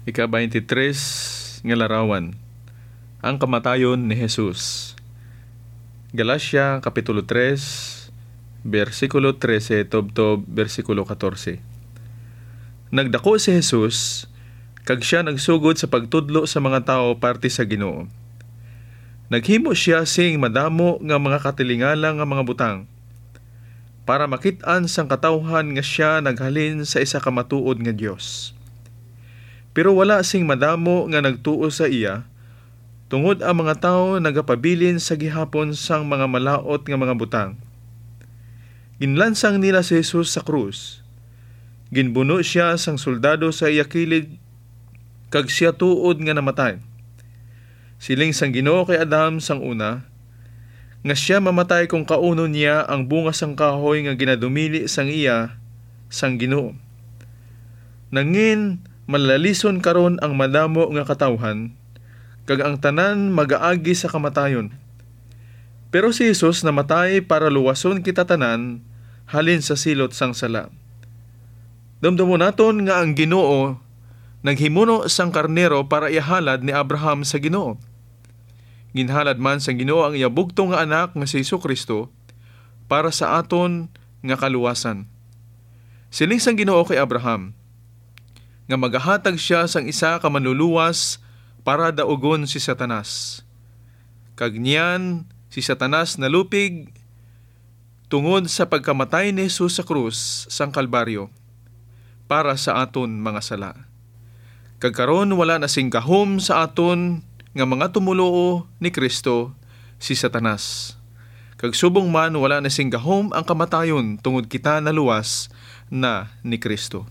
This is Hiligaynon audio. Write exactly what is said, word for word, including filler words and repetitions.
Ika-twenty-three nga larawan, ang kamatayon ni Jesus. Galacia Kapitulo three, bersikulo trese tubtob bersikulo katorse. Nagdako si Jesus, kag sia nagsugod sa pagtudlo sa mga tawo parte sa Ginoo. Naghimo sia sing madamo nga mga katilingala nga mga butang, para makit-an sang katawhan nga sia naghalin sa isa ka matuod nga Dios. Pero wala sing madamo nga nagtuo sa iya, tungod ang mga tawo nagapabilin sa gihapon sang mga malaut nga mga butang. Ginlansang nila si Jesus sa krus. Ginbuno sia sang soldado sa iya kilid, kag sia tuod nga namatay. Siling sang Ginoo kay Adam sang una, nga sia mamatay kon kaunon niya ang bunga sang kahoy nga ginadumili sang iya sang Ginoo. Nangin malalison karon ang madamo nga katawhan, kag ang tanan magaagi sa kamatayon. Pero si Jesus namatay para luwason kita tanan halin sa silot sang sala. Dumdumon naton nga ang Ginoo naghimuno sang karnero para ihalad ni Abraham sa Ginoo. Ginhalad man sang Ginoo ang iya bugtong nga Anak nga si Jesu-Cristo para sa aton nga kaluwasan. Siling sang Ginoo kay Abraham, nga magahatag sia sang isa ka manluluwas para daugon si Satanas. Kag niyan si Satanas nalupig tungod sa pagkamatay ni Jesus sa krus sang Kalbaryo para sa aton mga sala. Kag karon wala na sing gahom sa aton nga mga tumoluo ni Cristo si Satanas. Kag subong man wala na sing gahom ang kamatayon tungod kita naluwas na ni Cristo.